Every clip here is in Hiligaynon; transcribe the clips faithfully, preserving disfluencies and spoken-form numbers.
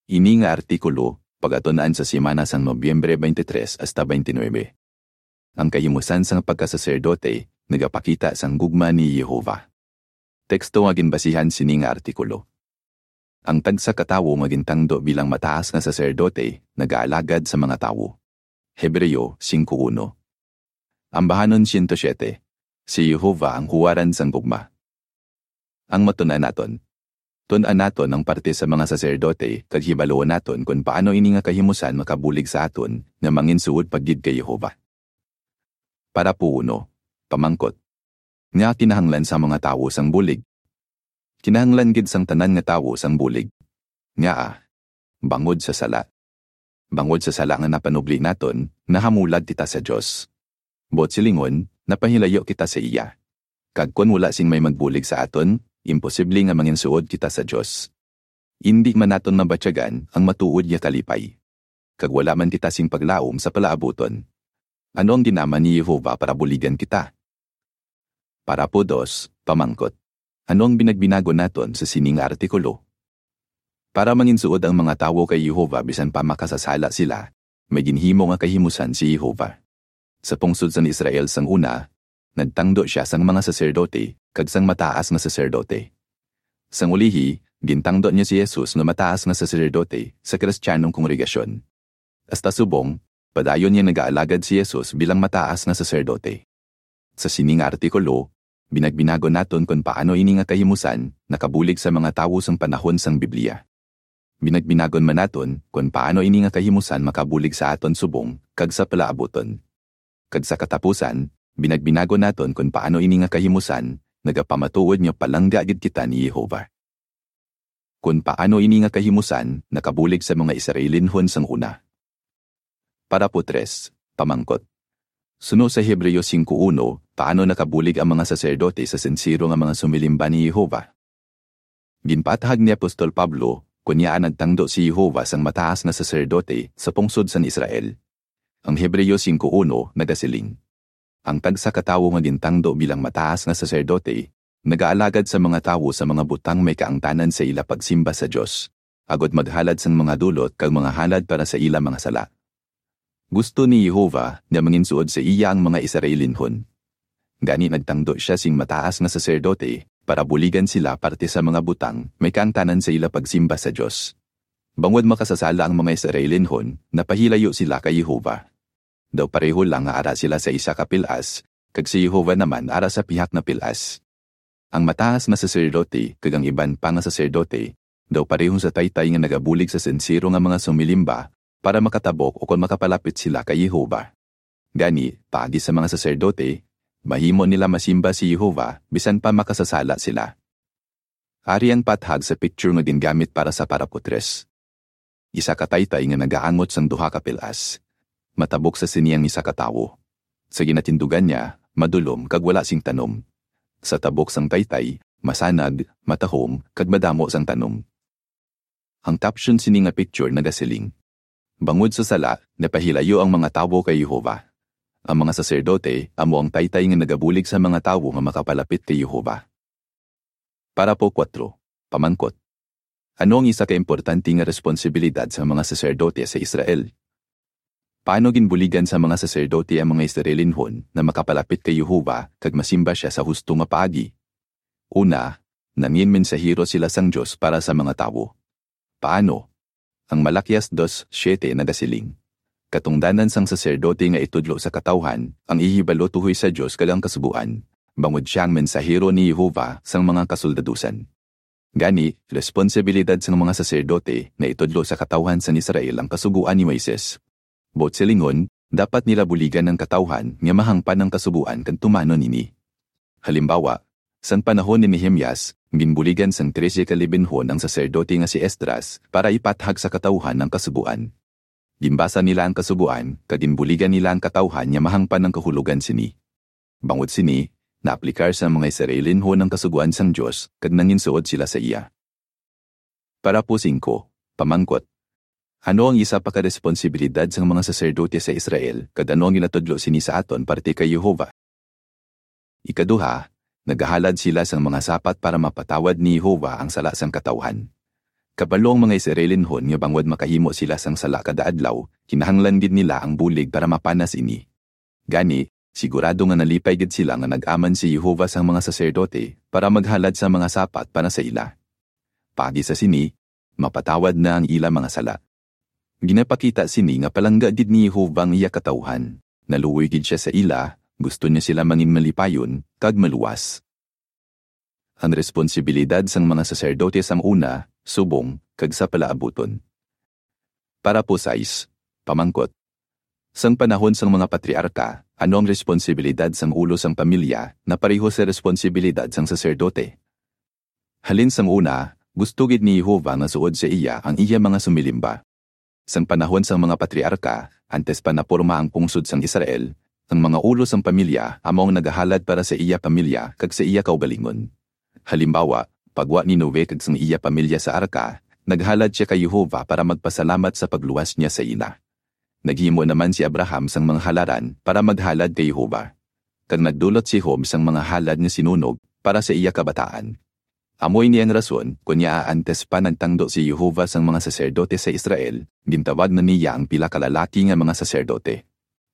Ini nga artikulo pagatun-an sa semana sang Nobyembre twenty-three hasta twenty-nine. Ang kahimusan sang pagkasaserdote nagapakita sang gugma ni Jehovah. Teksto nga ginbasihan sini nga artikulo. Ang tagsa ka tawo nga gintangdo bilang mataas nga saserdote nagaalagad sa mga tawo. Hebreo singko uno. Ambahanon siyento siyete. Si Jehovah ang huwaran sang gugma. Ang matun-an naton. Tun-an naton ang parte sa mga saserdote kag hibaluon naton kon paano ini nga kahimusan makabulig sa aton nga manginsuod pa gid kay Jehovah. Parapo uno, pamangkot. Ngaa kinahanglan sa mga tawo sang bulig? Kinahanglan gid sang tanan nga tawo sang bulig. Ngaa? Bangod sa sala. Bangod sa sala nga napanubli naton, nahamulag kita sa Dios. Buot silingon, napahilayo kita sa iya. Kag kon wala sing may magbulig sa aton, imposible nga manginsuod kita sa Dios. Indi man naton mabatyagan ang matuod nga kalipay. Kag wala man kita sing paglaom sa palaabuton. Ano ang ginama ni Jehovah para buligan kita? Parapo dos, pamangkot. Ano ang binagbinagon naton sa sining artikulo? Para manginsuod ang mga tawo kay Jehovah bisan pa makasasala sila, may ginhimo nga kahimusan si Jehovah. Sa pungsod sang Israel sang una, nagtangdo sia sang mga saserdote kag sang mataas nga saserdote. Sang ulihi, gintangdo niya si Jesus nga mataas nga saserdote sa Kristiyanong kongregasyon. Hasta subong, padayon nga nagaalagad si Jesus bilang mataas nga saserdote. Sa sini nga artikulo, binagbinagon naton kon paano ini nga kahimusan nakabulig sa mga tawo sang panahon sang Biblia. Binagbinagon man naton kon paano ini nga kahimusan makabulig sa aton subong kag sa palaabuton. Kag sa katapusan, binagbinagon naton kon paano ini nga kahimusan nagapamatuod nga palangga gid kita ni Jehovah. Kon paano ini nga kahimusan nakabulig sa mga Israelinhon sang una. Parapo tres, pamangkot. Suno sa Hebreo singko uno, paano nakabulig ang mga saserdote sa sinsero nga mga sumilimba ni Jehovah? Ginpaathag ni Apostol Pablo kon ngaa nagtangdo si Jehovah sang mataas nga saserdote sa pungsod sang Israel. Ang Hebreo singko uno nagasiling, ang tagsa ka tawo nga gintangdo bilang mataas nga saserdote nagaalagad sa mga tawo sa mga butang may kaangtanan sa ila pagsimba sa Dios, agod maghalad sang mga dulot kag mga halad para sa ila mga sala. Gusto ni Jehovah nga manginsuod sa iya ang mga Israelinhon. Gani nagtangdo sia sing mataas nga saserdote para buligan sila parte sa mga butang may kaangtanan sa ila pagsimba sa Dios. Bangod makasasala ang mga Israelinhon, napahilayo sila kay Jehovah. Daw pareho lang nga ara sila sa isa ka pil-as, kag si Jehovah naman ara sa pihak nga pil-as. Ang mataas nga saserdote kag ang iban pa nga saserdote daw pareho sa taytay nga nagabulig sa sinsero nga mga sumilimba para makatabok ukon makapalapit sila kay Jehovah. Gani, paagi sa mga saserdote, mahimo nila masimba si Jehovah bisan pa makasasala sila. Ari ang paathag sa picture nga gingamit para sa parapo tres. Isa ka taytay nga nagaangot sang duha ka pil-as. Matabok sa sini ang isa ka tawo. Sa ginatindugan niya, madulom kag wala sing tanom. Sa tabok sang taytay, masanag, matahom, kag madamo sang tanom. Ang caption sini nga picture nagasiling, bangod sa sala, napahilayo ang mga tawo kay Jehovah. Ang mga saserdote amo ang taytay nga nagabulig sa mga tawo nga makapalapit kay Jehovah. Parapo kuwatro, pamangkot. Ano ang isa ka importante nga responsibilidad sa mga saserdote sa Israel? Paano ginbuligan sa mga saserdote ang mga Israelinhon na makapalapit kay Jehovah kag masimba sia sa husto nga paagi? Una, nangin mensahero sila sang Dios para sa mga tawo. Paano? Ang Malakias dos siete nagasiling, katungdanan sang saserdote nga itudlo sa katawuhan ang ihibalo tuhoy sa Dios kag ang Kasugoan, bangod sia ang mensahero ni Jehovah sang mga kasoldadusan. Gani, responsibilidad sang mga saserdote nga itudlo sa katawuhan sang Israel ang Kasugoan ni Moises. Buot silingon, dapat nila buligan ang katawuhan nga mahangpan ang Kasugoan kag tumanon ini. Halimbawa, sang panahon ni Nehemias, ginbuligan sang trese ka libinhon ang saserdote nga si Esdras para ipaathag sa katawuhan ang Kasugoan. Ginbasa nila ang Kasugoan kag ginbuligan nila ang katawuhan nga mahangpan ang kahulogan sini. Bangod sini, naaplikar sa mga Israelinhon ang Kasugoan sang Dios kag nanginsuod sila sa iya. Parapo singko, pamangkot. Ano ang isa pa ka responsibilidad sang mga saserdote sa Israel, kag ano ang ginatudlo sini sa aton parte kay Jehovah? Ikaduha, nagahalad sila sang mga sapat para mapatawad ni Jehovah ang sala sang katawuhan. Kabalo ang mga Israelinhon nga bangod makahimo sila sang sala kada adlaw, kinahanglan gid nila ang bulig para mapanas ini. Gani, sigurado nga nalipay gid sila nga nag-aman si Jehovah sang mga saserdote para maghalad sa mga sapat para sa ila. Paagi sa sini, mapatawad na ang ila mga sala. Ginapakita sini nga palangga gid ni Jehovah ang iya katawuhan. Naluoy gid sia sa ila, gusto niya sila mangin malipayon kag maluwas. Ang responsibilidad sang mga saserdote sang una, subong, kag sa palaabuton. Parapo sais, pamangkot. Sang panahon sang mga patriarka, ano ang responsibilidad sang ulo sang pamilya na pareho sa responsibilidad sang saserdote? Halin sang una, gusto gid ni Jehovah nga suod sa iya ang iya mga sumilimba. Sang panahon sang mga patriarka, antes pa naporma ang pungsod sang Israel, ang mga ulo sang pamilya amo ang nagahalad para sa iya pamilya kag sa iya kaugalingon. Halimbawa, pagwa ni Noe kag sang iya pamilya sa arka, naghalad sia kay Jehovah para magpasalamat sa pagluwas niya sa ila. Naghimo naman si Abraham sang mga halaran para maghalad kay Jehovah. Kag nagdulot si Job sang mga halad nga sinunog para sa iya kabataan. Amo ini ang rason kon ngaa antes pa nagtangdo si Jehovah sang mga saserdote sa Israel, gintawag na niya ang pila ka lalaki nga mga saserdote.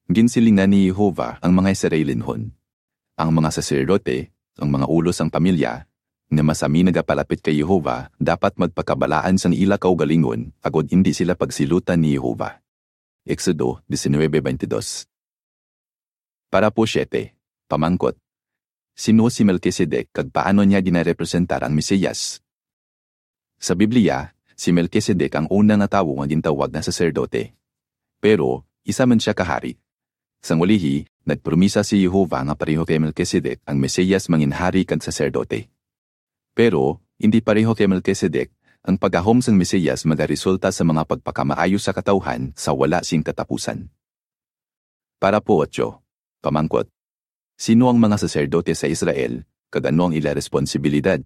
Ginsilingan ni Jehovah ang mga Israelinhon. Ang mga saserdote, ang mga ulo sang pamilya, nga masami nagapalapit kay Jehovah, dapat magpakabalaan sang ila kaugalingon, agod indi sila pagsilutan ni Jehovah. Exodo diecinuebe veintidós. Parapo siete, pamangkot. Sino si Melquisedec kag paano niya ginarepresentar ang Mesiyas? Sa Biblia, si Melquisedec ang una nga tawo nga gintawag nga saserdote. Pero, isa man sia ka hari. Sang ulihi, nagpromisa si Jehovah nga pareho kay Melquisedec ang Mesiyas mangin hari kag saserdote. Pero, hindi pareho kay Melquisedec, ang paggahom sang Mesiyas magaresulta sa mga pagpakamaayo sa katawuhan sa wala sing katapusan. Parapo otso, pamangkot. Sino ang mga saserdote sa Israel, kag ano ang ila responsibilidad?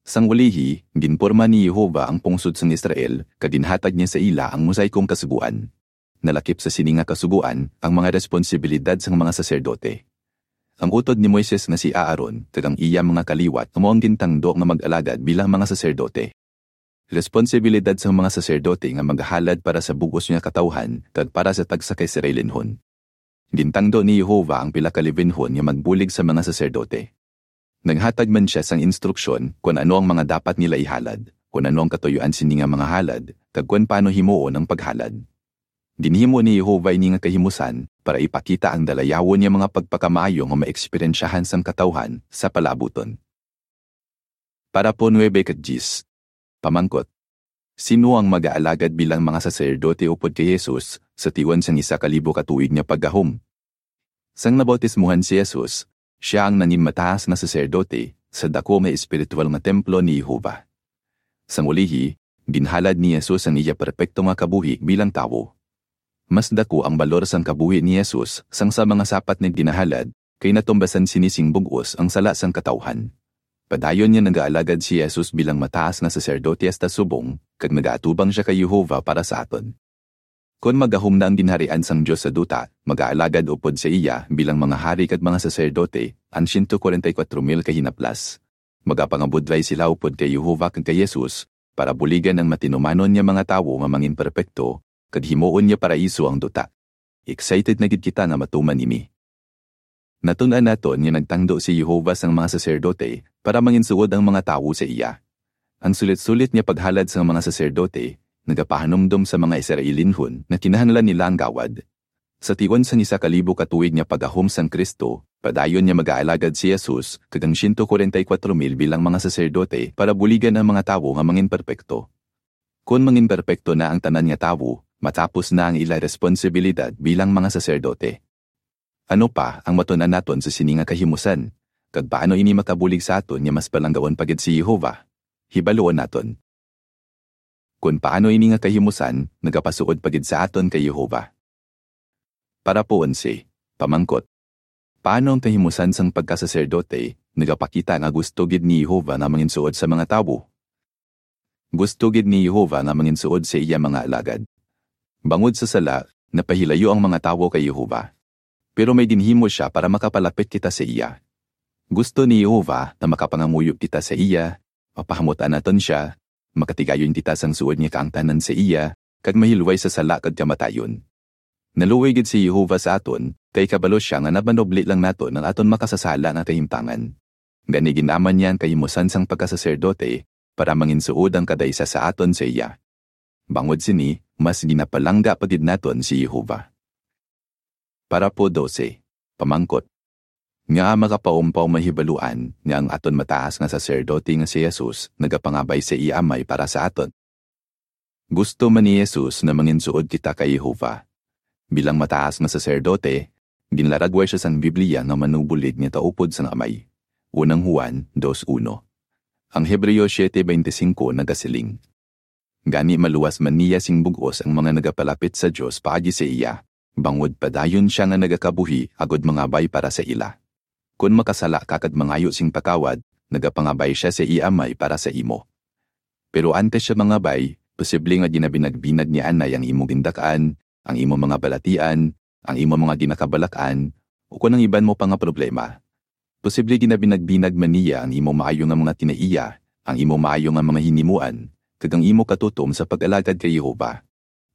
Sang ulihi, ginporma ni Jehovah ang pungsod sang Israel, kag ginhatag niya sa ila ang mosaikong kasugoan. Nalakip sa sini nga kasugoan ang mga responsibilidad sang mga saserdote. Ang utod ni Moises nga si Aaron kag ang iya mga kaliwat amo ang gintangdo nga mag-alagad bilang mga saserdote. Responsibilidad sang mga saserdote nga magahalad para sa bug-os nga katawuhan kag para sa tagsa ka Israelinhon. Gintangdo ni Jehovah ang pila ka Levinhon nga magbulig sa mga saserdote. Naghatag man sia sang instruksyon kon ano ang mga dapat nila ihalad, kon ano ang katuyoan sini nga mga halad, kag kon paano himuon ang paghalad. Ginhimo ni Jehovah ini nga kahimusan para ipakita ang dalayawon nga mga pagpakamaayo nga maeksperyensyahan sang katawuhan sa palaabuton. Parapo nuebe kag diyes. Pamangkot. Sino ang magaalagad bilang mga saserdote upod kay Jesus sa tion sang isa ka libo ka tuig nga paggahom? Sang nabautismuhan si Jesus, sia ang nangin mataas nga saserdote sa daku nga espiritual nga templo ni Jehovah. Sang ulihi, ginhalad ni Jesus ang iya perpekto nga kabuhi bilang tawo. Mas daku ang balor sang kabuhi ni Jesus sang sa mga sapat nga ginahalad, kay natumbasan sini sing bug-os ang sala sang katawuhan. Padayon nga nagaalagad si Jesus bilang mataas nga saserdote hasta subong, kag nagaatubang sia kay Jehovah para sa aton. Kon magahom na ang Ginharian sang Dios sa duta, magaalagad upod sa iya bilang mga hari kag mga saserdote ang siyento kwarenta y kuwatro mil ka hinaplas. Magapangabudlay sila upod kay Jehovah kag kay Jesus, para buligan ang matinumanon nga mga tawo nga mangin perpekto, kag himuon nga paraiso ang duta. Excited na gid kita nga matuman ini. Natun-an naton nga nagtangdo si Jehovah sang mga saserdote para manginsuod ang mga tawo sa iya. Ang sulit-sulit nga paghalad sang mga saserdote nagapahanumdom sa mga Israelinhon nga kinahanglan nila ang gawad. Sa tion sang isa ka libo ka tuig nga paggahom sang Cristo, padayon nga magaalagad si Jesus kag ang siyento kwarenta y kuwatro mil bilang mga saserdote para buligan ang mga tawo nga mangin perpekto. Kon mangin perpekto na ang tanan nga tawo, matapos na ang ila responsibilidad bilang mga saserdote. Ano pa ang matun-an naton sa sini nga kahimusan, kag paano ini makabulig sa aton nga mas palanggaon pa gid si Jehovah? Hibaluon naton. Kon paano ini nga kahimusan nagapasuod pa gid sa aton kay Jehovah. Parapo onse, pamangkot. Paano ang kahimusan sang pagkasaserdote nagapakita nga gusto gid ni Jehovah nga manginsuod sa mga tawo? Gusto gid ni Jehovah nga manginsuod sa iya mga alagad. Bangod sa sala, napahilayo ang mga tawo kay Jehovah. Pero may ginhimo sia para makapalapit kita sa iya. Gusto ni Jehovah nga makapangamuyo kita sa iya, mapahamutan naton sia, makatigayon kita sang suod nga kaangtanan sa iya, kag mahilway sa sala kag kamatayon. Naluoy gid si Jehovah sa aton, kay kabalo sia nga napanubli lang naton ang aton makasasala nga kahimtangan. Gani, gin-aman niya ang kahimusan sang pagkasaserdote para manginsuod ang kada isa sa aton sa iya. Bangod sini, mas ginapalangga pa gid naton si Jehovah. Parapo dose, pamangkot. Ngaa makapaumpaw mahibaluan nga ang aton mataas nga saserdote nga si Jesus nagapangabay sa iya Amay para sa aton? Gusto man ni Jesus nga manginsuod kita kay Jehovah. Bilang mataas nga saserdote, ginlaragway sia sang Biblia nga manubulig nga taupod sang Amay. Unang Juan dos uno. Ang Hebreo siete veinticinco nagasiling, "Gani maluwas man niya sing bug-os ang mga nagapalapit sa Dios paagi sa iya, bangod padayon sia nga nagakabuhi agud mangabay para sa ila." Kon makasala ka kag mangayo sing patawad, nagapangabay sia sa iya Amay para sa imo. Pero antes sia mangabay, posible nga ginabinagbinag ni Anay ang imo gindak-an, ang imo mga balatian, ang imo mga ginakabalak-an, o kon ang iban mo pa nga problema. Posible ginabinagbinag man niya ang imo maayo nga mga kinaiya, ang imo maayo nga mga hinimuan, kag ang imo katutom sa pag-alagad kay Jehovah.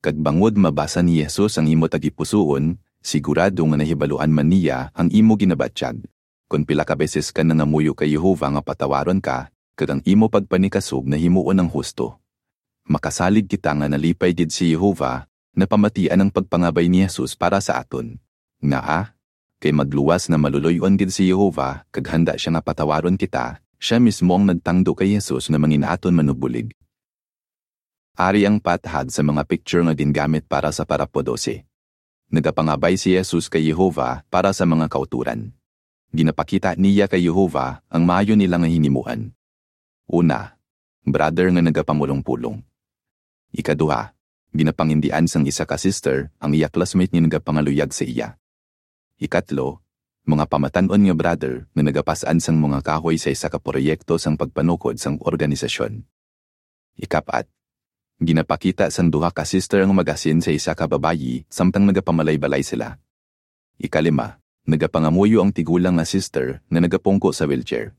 Kag bangod mabasa ni Jesus ang imo tagipusoon, sigurado nga nahibaluan man niya ang imo ginabatyag. Kon pila ka beses ka nangamuyo kay Jehovah nga patawaron ka, kag ang imo pagpanikasog nahimuon ang husto, makasalig kita nga nalipay gid si Jehovah, napamatian ang pagpangabay ni Jesus para sa aton. Ngaa? Kay magluwas nga maluloy-on gid si Jehovah, kag handa sia nga patawaron kita, sia mismo ang nagtangdo kay Jesus nga mangin aton manubulig. Ari ang pathag sa mga picture nga gingamit para sa parapo dose. Nagapangabay si Jesus kay Jehovah para sa mga kautoran. Ginapakita niya kay Jehovah ang maayo nila nga hinimuan. Una, brother nga nagapamulong-pulong. Ikaduha, ginapangindian sang isa ka sister ang iya classmate nga nagapangaluyag sa iya. Ikatlo, mga pamatan-on nga brother nga nagapas-an sang mga kahoy sa isa ka proyekto sang pagpanukod sang organisasyon. Ikapat, ginapakita sang duha ka sister ang magasin sa isa ka babayi samtang nagapamalaybay sila. Ikalima, nagapangamuyo ang tigulang nga sister nga nagapungko sa wheelchair.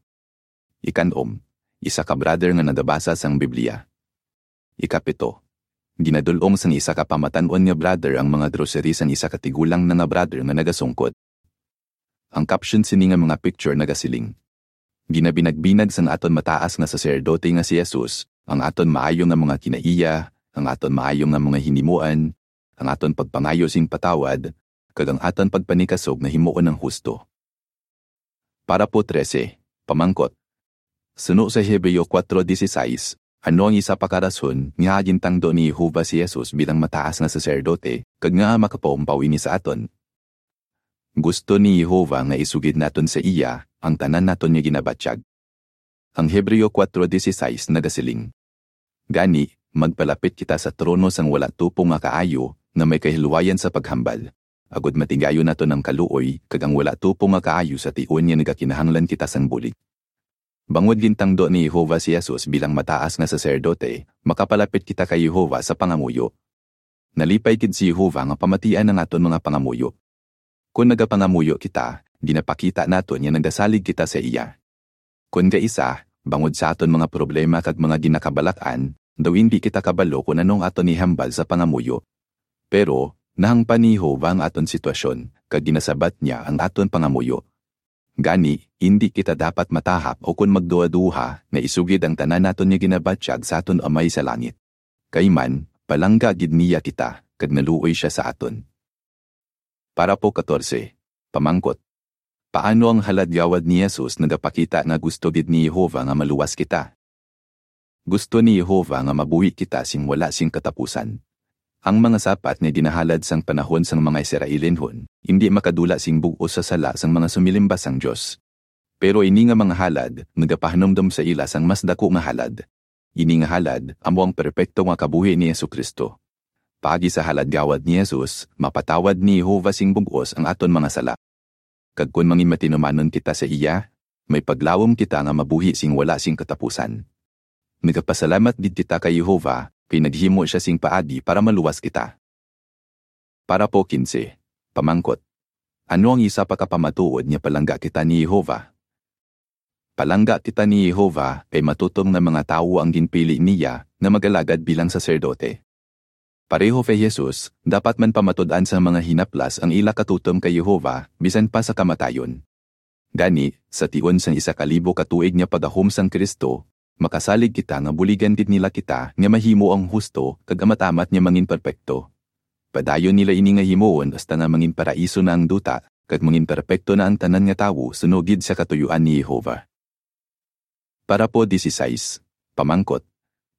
Ikanom, isa ka brother nga nagabasa sang Biblia. Ikapito, ginadul-ong sang isa ka pamatan-on nga brother ang mga grocery sang isa ka tigulang na nga brother nga nagasungkod. Ang caption sini nga mga picture nagasiling, "Ginabinagbinag sang aton mataas nga saserdote nga si Jesus ang aton maayo nga mga kinaiya, ang aton maayo nga mga hinimuan, ang aton pagpangayo sing patawad, kag ang aton pagpanikasog nga himuon ang husto." Parapo trese, pamangkot. Suno sa Hebreo kuwatro dieciséis, ano ang isa pa ka rason nga gintangdo ni Jehovah si Jesus bilang mataas nga saserdote, kag ngaa makapaumpaw ini sa aton? Gusto ni Jehovah nga isugid naton sa iya ang tanan naton nga ginabatyag. Ang Hebreo kuwatro dieciséis nagasiling, "Gani, magpalapit kita sa trono sang wala tupong nga kaayo, nga may kahilwayan sa paghambal, agud matigayon naton ang kaluoy kag ang wala tupong nga kaayo sa tion nga nagakinahanglan kita sang bulig." Bangod gintangdo ni Jehovah si Jesus bilang mataas nga saserdote, makapalapit kita kay Jehovah sa pangamuyo. Nalipay gid si Jehovah nga pamatian ang aton mga pangamuyo. Kon nagapangamuyo kita, ginapakita naton nga nagasalig kita sa iya. Kon kaisa, bangod sa aton mga problema kag mga ginakabalak-an, daw indi kita kabalo kon ano ang aton ihambal sa pangamuyo. Pero, nahangpan ni Jehovah ang aton sitwasyon, kag ginasabat niya ang aton pangamuyo. Gani, indi kita dapat matahap ukon magduhaduha nga isugid ang tanan naton nga ginabatyag sa aton Amay sa langit. Kay man, palangga gid niya kita, kag naluoy sia sa aton. Parapo katorse, pamangkot. Paano ang halad-gawad ni Jesus nagapakita nga gusto gid ni Jehovah nga maluwas kita? Gusto ni Jehovah nga mabuhi kita sing wala sing katapusan. Ang mga sapat nga ginahalad sang panahon sang mga Israelinhon indi makadula sing bug-os sa sala sang mga sumilimba sang Dios. Pero ini nga mga halad nagapahanumdom sa ila sang mas daku nga halad. Ini nga halad amo ang perpekto nga kabuhi ni Jesu-Cristo. Paagi sa halad-gawad ni Jesus, mapatawad ni Jehovah sing bug-os ang aton mga sala. Kag kon manginmatinumanon kita sa iya, may paglawom kita nga mabuhi sing wala sing katapusan. Nagapasalamat gid kita kay Jehovah kay naghimo sia sing paagi para maluwas kita. Parapo kinse, pamangkot. Ano ang isa pa ka pamatuod nga palangga kita ni Jehovah? Palangga kita ni Jehovah, kay matutom nga mga tawo ang ginpili niya nga mag-alagad bilang saserdote. Pareho kay Jesus, dapat man pamatud-an sang mga hinaplas ang ila katutom kay Jehovah, bisan pa sa kamatayon. Gani, sa tion sang isa ka libo ka tuig nga pagahom sang Cristo, makasalig kita nga buligan gid nila kita nga mahimo ang husto kag amat-amat nga mangin perpekto. Padayon nila ini nga himuon hasta nga mangin paraiso na ang duta, kag mangin perpekto na ang tanan nga tawo suno gid sa katuyuan ni Jehovah. Parapo dieciséis, pamangkot.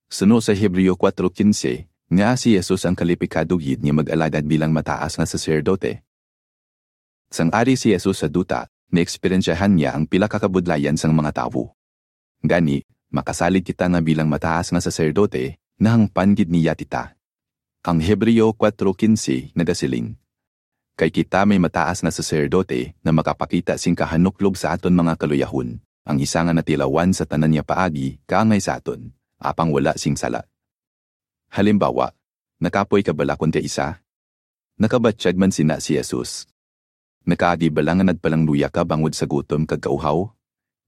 Suno sa Hebreo kuwatro quince, nga si Jesus ang kalipikado gid nga mag-alagad bilang mataas nga saserdote. Sang ari si Jesus sa duta, naeksperyensyahan niya ang pila ka kabudlayan sang mga tawo. Gani, makasalig kita nga bilang mataas nga saserdote, nahangpan gid niya kita. Ang Hebreo kuwatro quince nagasiling, "Kay kita may mataas nga saserdote nga makapakita sing kahanuklob sa aton mga kaluyahon, ang isa nga natilawan sa tanan nga paagi kaangay sa aton, apang wala sing sala." Halimbawa, nakapoy ka bala kon kaisa? Nakabatyag man sina si Jesus. Nakaagi bala nga nagpalangluya ka bangod sa gutom kag kauhaw?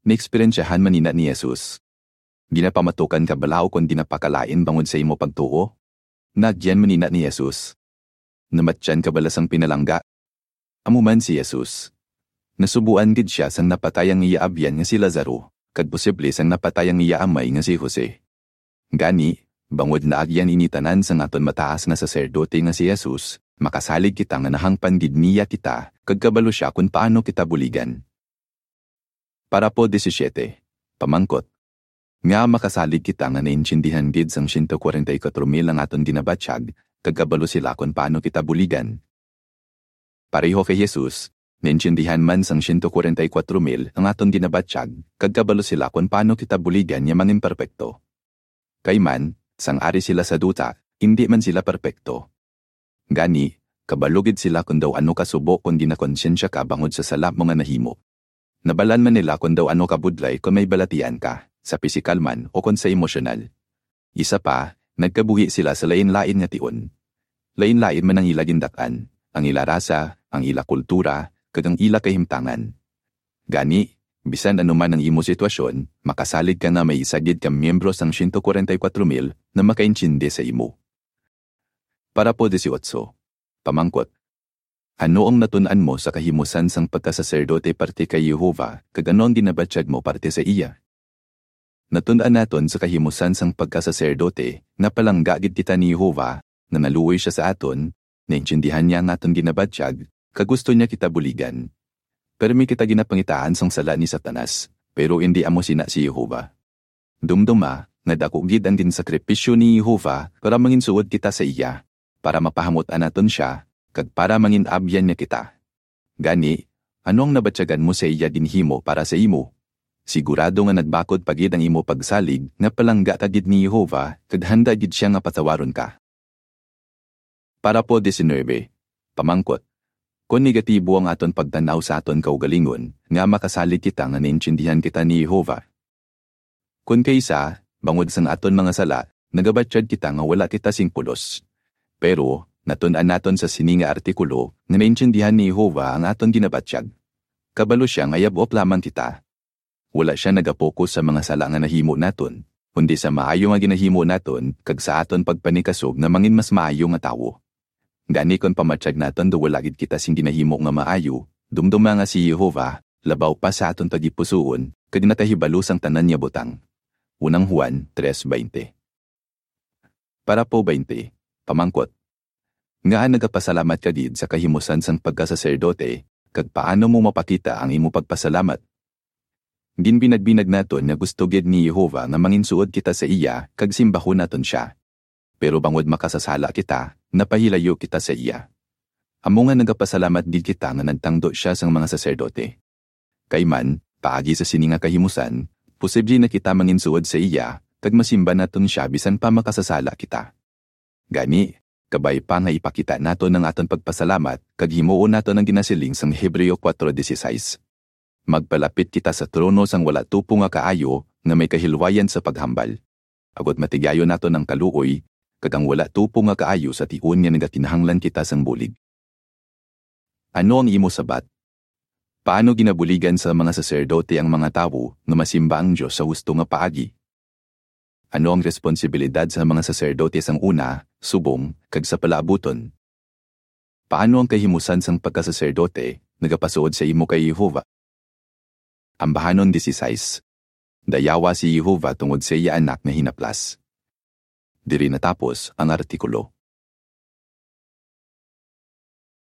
Naeksperyensyahan man ina ni Jesus. Ginapamatukan ka bala ukon ginapakalain bangod sa imo pagtuo? Naagyan man ina ni Jesus. Namatyan ka bala sang pinalangga? Amo man si Jesus. Nasubuan gid sia sang napatay ang iya abyan nga si Lazaro, kag posible sang napatay ang iya amay nga si Jose. Gani, bangod naagyan ini tanan sang aton mataas nga saserdote nga si Jesus, makasalig kita nga nahangpan gid niya kita, kag kabalo sia kon paano kita buligan. Parapo diecisiete, pamangkot. Nga makasalig kita nga naintindihan gid sang siyento kwarenta y kuwatro mil ang aton ginabatyag, kag kabalo sila kon paano kita buligan. Pareho kay Jesus, naintindihan man sang siyento kwarenta y kuwatro mil ang aton ginabatyag, kag kabalo sila kon paano kita buligan nga mangin perpekto. Kay man, sang ari sila sa duta, indi man sila perpekto. Gani, kabalo gid sila kon daw ano ka subo kon ginakonsyensya ka bangod sa sala mo nga nahimo. Nabal-an man nila kon daw ano ka budlay kon may balatian ka, sa pisikal man o kon sa emosyonal. Isa pa, nagkabuhi sila sa lain-lain nga tion. Lain-lain man ang ila gindak-an, ang ila rasa, ang ila kultura, kag ang ila kahimtangan. Gani, bisan ano man ang imo sitwasyon, makasalig ka nga may isa gid ka miyembro sang siyento kwarenta y kuwatro mil nga makaintindi sa imo. Parapo dieciocho, pamangkot. Ano ang natun-an mo sa kahimusan sang pagkasaserdote parte kay Jehovah, kag ano ang ginabatyag mo parte sa iya? Natun-an naton sa kahimusan sang pagkasaserdote nga palangga gid kita ni Jehovah, nga naluoy sia sa aton, naintindihan niya ang aton ginabatyag, kag gusto niya kita buligan. Permi kita ginapangitaan sang sala ni Satanas, pero indi amo sina si Jehovah. Dumduma nga daku gid ang ginsakripisyo ni Jehovah para manginsuod kita sa iya, para mapahamut-an naton sia, kag para mangin-abyan niya kita. Gani, ano ang nabatyagan mo sa iya ginhimo para sa imo? Sigurado nga nagbakod pa gid ang imo pagsalig nga palangga ka gid ni Jehovah kag handa gid sia nga patawaron ka. Parapo diecinuebe, pamangkot. Kon negatibo ang aton pagtan-aw sa aton kaugalingon, nga makasalig kita nga naintindihan kita ni Jehovah. Kon kaisa, bangod sang aton mga sala, nagabatyag kita nga wala kita sing pulos. Pero, natun-an naton sa sini nga artikulo nga naintindihan ni Jehovah ang aton ginabatyag. Kabalo sia nga yab-ok lamang kita. Wala sia nagapokus sa mga sala nga nahimo naton, kundi sa maayo nga ginahimo naton kag sa aton pagpanikasog nga mangin mas maayo nga tawo. Gani kon pamatyag naton daw wala gid kita sing ginahimo nga maayo, dumduma nga si Jehovah labaw pa sa aton tagipusoon kag nakahibalo sang tanan nga butang. Unang Juan tres veinte. Parapo twenty, pamangkot. Ngaa nagapasalamat ka gid sa kahimusan sang pagkasaserdote, kag paano mo mapakita ang imo pagpasalamat? Ginbinagbinag naton nga gusto gid ni Jehovah nga manginsuod kita sa iya kag simbahon naton sia. Pero bangod makasasala kita, napahilayo kita sa iya. Amo nga nagapasalamat gid kita nga nagtangdo sia sang mga saserdote. Kay man, paagi sa sini nga kahimusan, posible na kita manginsuod sa iya, kag masimba naton sia bisan pa makasasala kita. Gani, kabay pa nga ipakita naton ang aton pagpasalamat kag himuon naton ang ginasiling sang Hebreo kuwatro dieciséis. Magpalapit kita sa trono sang wala tupo nga kaayo nga may kahilwayan sa paghambal, agod matigayon naton ang kaluoy kag ang wala tupo nga kaayo sa tion nga nagakinahanglan kita sang bulig. Ano ang imo sabat? Paano ginabuligan sa mga saserdote ang mga tawo nga masimba ang Dios sa husto nga paagi? Ano ang responsibilidad sa mga saserdote sang una, subong, kag sa palaabuton? Paano ang kahimusan sang pagkasaserdote nagapasuod sa imo kay Jehovah? Ambahanon dieciséis. Dayawa si Jehovah tungod sa iya Anak nga hinaplas. Diri natapos ang artikulo.